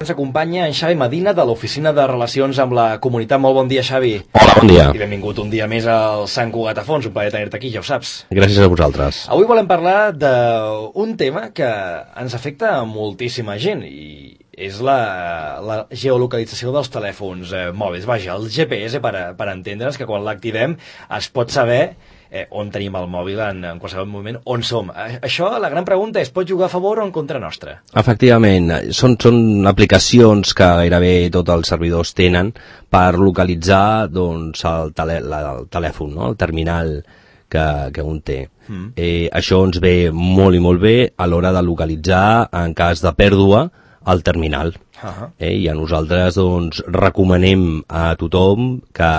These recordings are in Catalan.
Ens acompanya en Xavi Medina de l'Oficina de Relacions amb la Comunitat. Molt bon dia, Xavi. Hola, bon dia. I benvingut un dia més al Sant Cugat a Fons. Un plaer tenir-te aquí, ja ho saps. Gràcies a vosaltres. Avui volem parlar d'un tema que ens afecta a moltíssima gent i és la geolocalització dels telèfons mòbils. Vaja, el GPS, per entendre'ns, que quan l'activem es pot saber on tenim el mòbil en qualsevol moment, on som. Això, la gran pregunta és, pot jugar a favor o en contra nostra? Efectivament, són aplicacions que gairebé tots els servidors tenen per localitzar doncs, el telèfon, no? El terminal que un té. Això ens ve molt i molt bé a l'hora de localitzar, en cas de pèrdua, el terminal. I a nosaltres doncs, recomanem a tothom que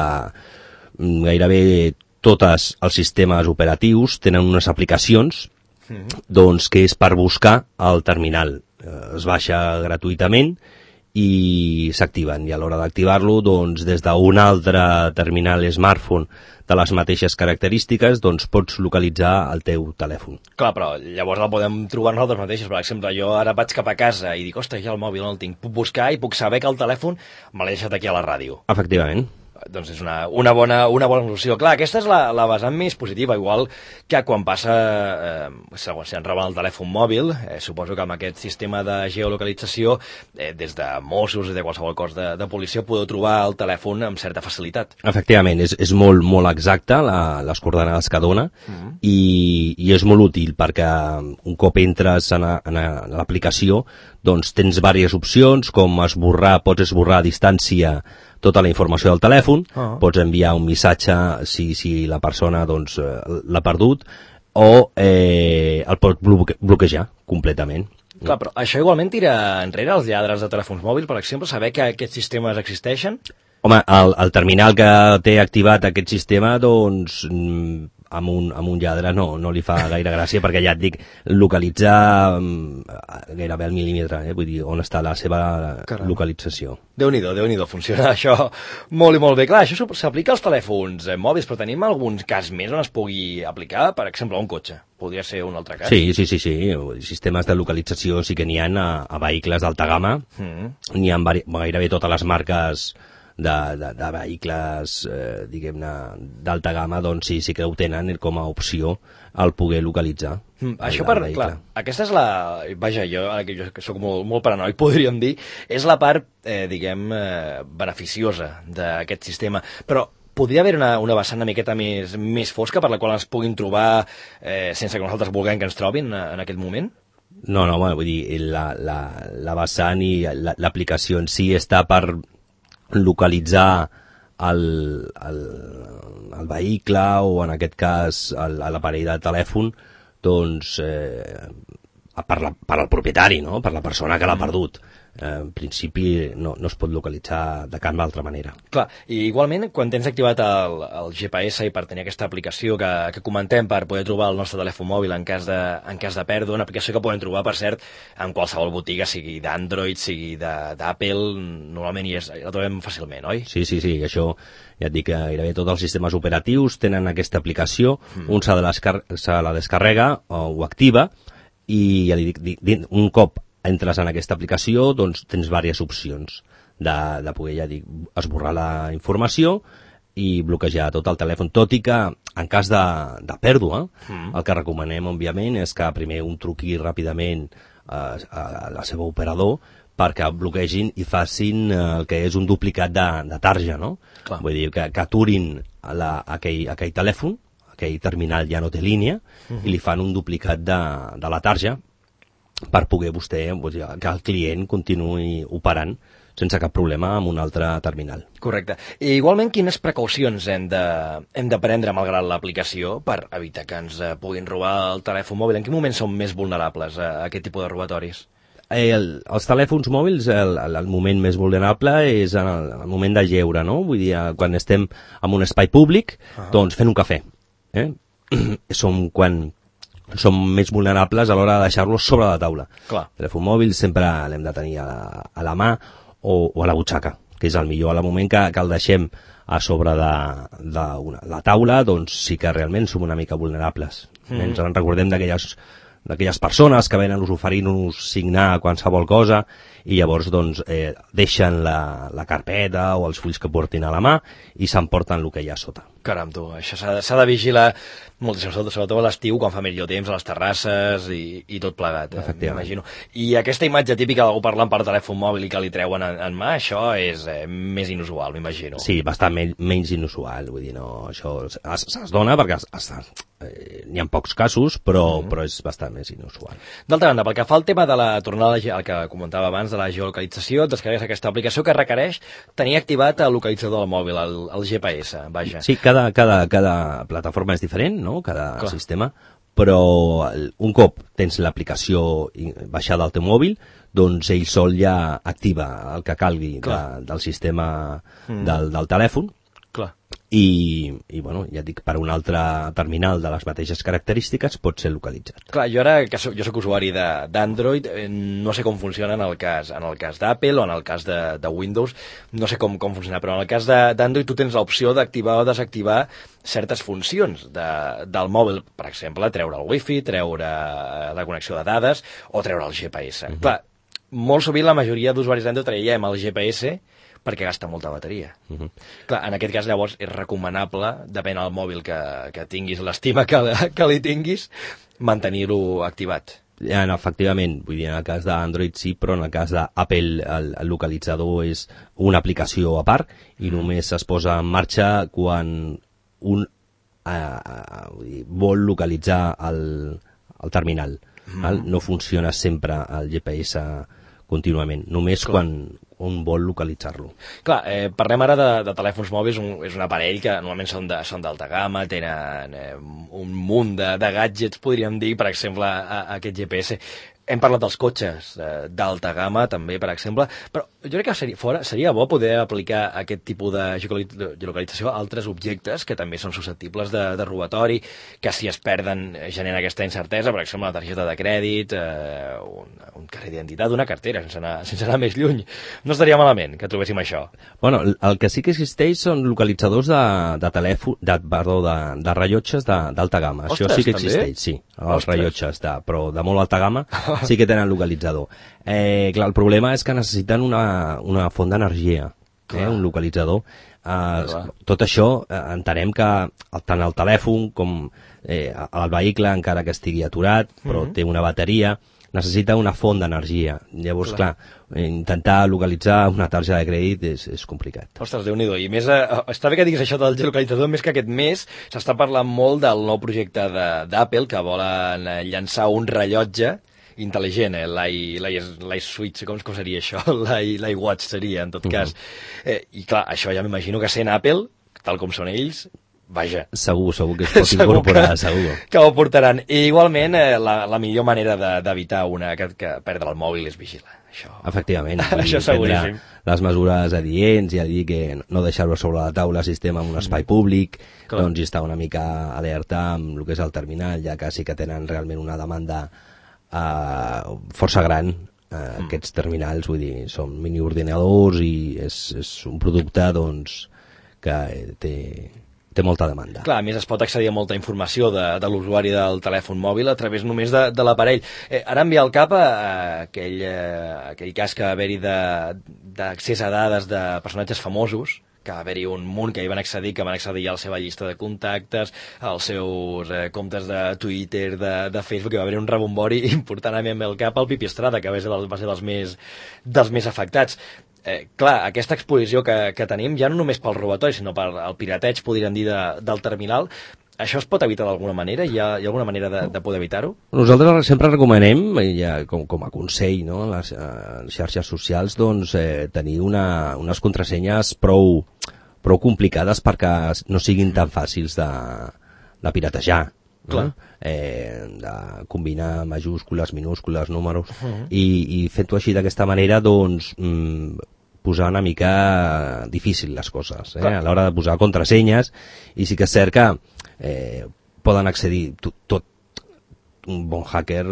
gairebé tots els sistemes operatius tenen unes aplicacions doncs, que és per buscar el terminal. Es baixa gratuïtament i s'activen. I a l'hora d'activar-lo, doncs, des d'un altre terminal smartphone de les mateixes característiques, doncs pots localitzar el teu telèfon. Clar, però llavors el podem trobar nosaltres mateixos. Per exemple, jo ara vaig cap a casa i dic, ostres, ja el mòbil no el tinc. Puc buscar i puc saber que el telèfon me l'he deixat aquí a la ràdio. Efectivament. Doncs és una bona solució. Clar, aquesta és la vessant més positiva, igual que quan passa, si ens roben el telèfon mòbil, suposo que amb aquest sistema de geolocalització, des de Mossos, des de qualsevol cos de policia, podeu trobar el telèfon amb certa facilitat. Efectivament, és molt, molt exacte les coordenades que dona i és molt útil perquè un cop entres en l'aplicació doncs tens diverses opcions, com pots esborrar a distància tota la informació del telèfon, pots enviar un missatge si la persona doncs, l'ha perdut, o el pots bloquejar completament. Clar, però això igualment tira enrere els lladres de telèfons mòbils, per exemple, saber que aquests sistemes existeixen? Home, el terminal que té activat aquest sistema, doncs, amb un lladre no li fa gaire gràcia, perquè ja et dic, localitzar gairebé al mil·límetre, vull dir, on està la seva localització. Déu-n'hi-do, funciona això molt i molt bé. Clar, això s'aplica als telèfons mòbils, però tenim algun cas més on es pugui aplicar, per exemple, a un cotxe. Podria ser un altre cas? Sí. Sistemes de localització sí que n'hi ha a vehicles d'alta gamma. N'hi ha gairebé totes les marques de vehicles, diguem-ne, d'alta gamma, doncs sí que ho tenen com a opció el poder localitzar. Això clar, aquesta és vaja, jo que soc molt paranoic, podríem dir, és la part, beneficiosa d'aquest sistema, però podria haver una vessant una miqueta més fosca per la qual ens puguin trobar sense que nosaltres vulguem que ens trobin en aquest moment? No, vull dir, la vessant i l'aplicació en si està per localitzar el vehicle o en aquest cas l'aparell de telèfon doncs per al propietari, no? Per la persona que l'ha perdut. En principi no es pot localitzar de cap altra manera. Clar, i igualment quan tens activat el GPS i per tenir aquesta aplicació que comentem per poder trobar el nostre telèfon mòbil en cas de pèrdua, una aplicació que podem trobar, per cert, en qualsevol botiga, sigui d'Android, sigui d'Apple, normalment la trobem fàcilment, oi? Sí, això ja et dic que gairebé tots els sistemes operatius tenen aquesta aplicació, un se la descarrega o activa i ja li dic, un cop entres en aquesta aplicació, doncs tens diverses opcions de poder, ja dic, esborrar la informació i bloquejar tot el telèfon, tot i que en cas de pèrdua, el que recomanem, òbviament, és que primer un truqui ràpidament a la seva operador perquè bloquegin i facin el que és un duplicat de tarja, no? Clar. Vull dir, que aturin aquell telèfon, aquell terminal ja no té línia, i li fan un duplicat de la tarja per poder que el client continuï operant sense cap problema amb un altre terminal. Correcte. I igualment, quines precaucions hem de prendre malgrat l'aplicació per evitar que ens puguin robar el telèfon mòbil? En quin moment som més vulnerables a aquest tipus de robatoris? Els telèfons mòbils, el moment més vulnerable és en el moment de lleure, no? Vull dir, quan estem en un espai públic, doncs fent un cafè. Som més vulnerables a l'hora de deixar-los sobre la taula. Clar. El telèfon mòbil sempre l'hem de tenir a la mà o a la butxaca, que és el millor. Al moment que el deixem a sobre de la taula, doncs sí que realment som una mica vulnerables. Ens en recordem d'aquelles persones que venen oferint-nos signar qualsevol cosa i llavors doncs, deixen la carpeta o els fulls que portin a la mà i s'emporten el que hi ha sota. Caram, tu, això s'ha de vigilar moltíssim, sobretot a l'estiu, quan fa millor temps, a les terrasses i tot plegat, m'imagino. I aquesta imatge típica d'algú parlant per telèfon mòbil i que li treuen en mà, això és més inusual, m'imagino. Sí, bastant menys inusual, vull dir, no, això es dona perquè n'hi ha pocs casos, però és bastant més inusual. D'altra banda, pel que fa al tema de la tornada, el que comentava abans, de la geolocalització, et descarregues aquesta aplicació que requereix tenir activat el localitzador del mòbil, el GPS, vaja. Sí, cada plataforma és diferent, no? Cada sistema, però un cop tens l'aplicació baixada al teu mòbil, doncs ell sol ja activa el que calgui del sistema del telèfon. Clar. I bueno, ja dic, per un altre terminal de les mateixes característiques pot ser localitzat. Clar, jo ara que jo soc usuari d'Android, no sé com funciona en el cas d'Apple o en el cas de Windows, no sé com funciona, però en el cas d'Android tu tens l'opció d'activar o desactivar certes funcions del mòbil, per exemple, treure el Wi-Fi, treure la connexió de dades o treure el GPS. Clar, molt sovint la majoria d'usuaris d'Android traiem el GPS perquè gasta molta bateria. Clar, en aquest cas, llavors, és recomanable, depèn del mòbil que tinguis, l'estima que li tinguis, mantenir-lo activat. Efectivament, vull dir, en el cas d'Android sí, però en el cas d'Apple el localitzador és una aplicació a part i només es posa en marxa quan un vol localitzar el terminal. No funciona sempre el GPS contínuament, només quan un vol localitzar-lo. Clar, parlem ara de telèfons mòbils, és un aparell que normalment són d'alta gamma, tenen un munt de gadgets, podríem dir, per exemple, aquest GPS. Hem parlat dels cotxes d'alta gamma, també, per exemple, però jo crec que seria bo poder aplicar aquest tipus de geolocalització a altres objectes que també són susceptibles de robatori, que si es perden genera aquesta incertesa, per exemple, una targeta de crèdit, un carnet d'identitat, una cartera, sense anar més lluny. No estaria malament que trobéssim això. Bueno, el que sí que existeix són localitzadors de telèfon, de rellotges d'alta gamma. Ostres, això sí que també? Existeix, sí. Els rellotges, però de molt alta gamma sí que tenen localitzador. Clar, el problema és que necessiten una font d'energia, un localitzador. Tot això entenem que tant el telèfon com el vehicle, encara que estigui aturat, però té una bateria, necessita una font d'energia. Llavors, clar, intentar localitzar una targeta de crèdit és complicat. Ostres, Déu-n'hi-do. I més, està bé que diguis això del geolocalitzador, més que aquest mes s'està parlant molt del nou projecte d'Apple, que volen llançar un rellotge intel·ligent, l'iSwitch, com seria això? L'iWatch seria, en tot cas. I clar, això ja m'imagino que sent Apple, tal com són ells, vaja. Segur que es pot incorporar, segur. Que ho portaran. I igualment, la millor manera d'evitar que perdre el mòbil és vigilar. Això. Efectivament. Això seguríssim. Les mesures adients, ja dir que no deixar-ho sobre la taula si estem en un espai públic, doncs estar una mica alerta amb el que és el terminal, ja que sí que tenen realment una demanda força gran. Aquests terminals, vull dir, són miniordinadors i és un producte doncs que té molta demanda. Clar, a més es pot accedir a molta informació de l'usuari del telèfon mòbil a través només de l'aparell. Ara em ve al cap aquell cas que va haver-hi d'accés a dades de personatges famosos, que va haver-hi un munt que hi van accedir, que van accedir a la seva llista de contactes, als seus comptes de Twitter, de Facebook, que va haver-hi un rebombori important. A mi em ve al cap el Pipi Estrada, que va ser dels més afectats. Clar, aquesta exposició que tenim, ja no només pel robatori, sinó pel pirateig, podríem dir, del terminal, això es pot evitar d'alguna manera? Hi ha alguna manera de poder evitar-ho? Nosaltres sempre recomanem, ja com a consell, no, en les xarxes socials, doncs, tenir unes contrasenyes prou complicades perquè no siguin tan fàcils de piratejar. Clar. De combinar majúscules, minúscules, números, i fent-ho així d'aquesta manera, doncs, posar una mica difícil les coses, a l'hora de posar contrasenyes, i sí que és cert que poden accedir un bon hacker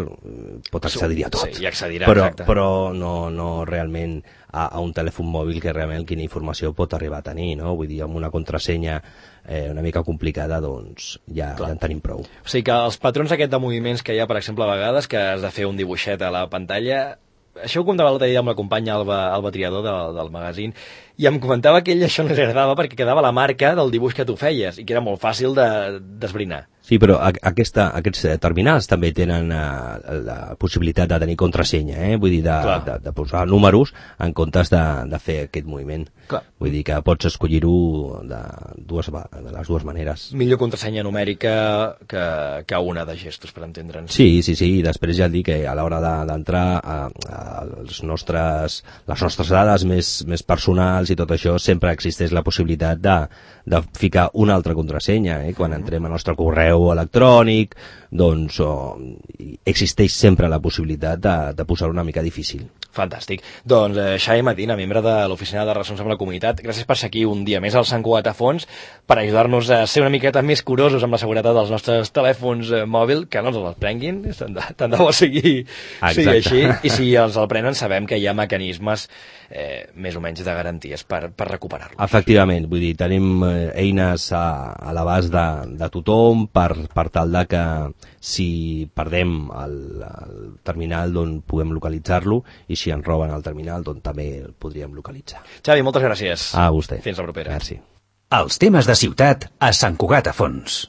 pot accedir a tot. Sí, i accedirà, exacte. Però no realment a un telèfon mòbil que realment quina informació pot arribar a tenir, no? Vull dir, amb una contrasenya una mica complicada, doncs ja en tenim prou. O sigui que els patrons aquest de moviments que hi ha, per exemple, a vegades, que has de fer un dibuixet a la pantalla, això ho comentava l'altre dia amb la companya Alba Triador del magazín, i em comentava que ell això no li agradava perquè quedava la marca del dibuix que tu feies i que era molt fàcil d'esbrinar. Sí, però aquests terminals també tenen la possibilitat de tenir contrasenya, vull dir, de posar números en comptes de fer aquest moviment. Clar. Vull dir que pots escollir-ho de les dues maneres. Millor contrasenya numèrica que una de gestos, per entendre'ns. Sí, i després ja et dic que a l'hora d'entrar a les nostres dades més personals i tot això, sempre existeix la possibilitat de ficar una altra contrasenya. Quan entrem al nostre correu electrònic, doncs existeix sempre la possibilitat de posar una mica difícil. Fantàstic. Doncs Xavi Medina, membre de l'Oficina de Relacions amb la Comunitat, gràcies per ser aquí un dia més al Sant Cugat a Fons per ajudar-nos a ser una miqueta més curosos amb la seguretat dels nostres telèfons mòbils, que no ens els prenguin, tant de bo sigui així, i si els el prenen sabem que hi ha mecanismes més o menys de garanties per recuperar-los. Efectivament, vull dir, tenim eines a l'abast de tothom per tal de que si perdem el terminal doncs puguem localitzar-lo, i si ens roben el terminal doncs també el podríem localitzar. Xavi, moltes gràcies. A vostè. Fins la propera. Merci. Els temes de ciutat a Sant Cugat a Fons.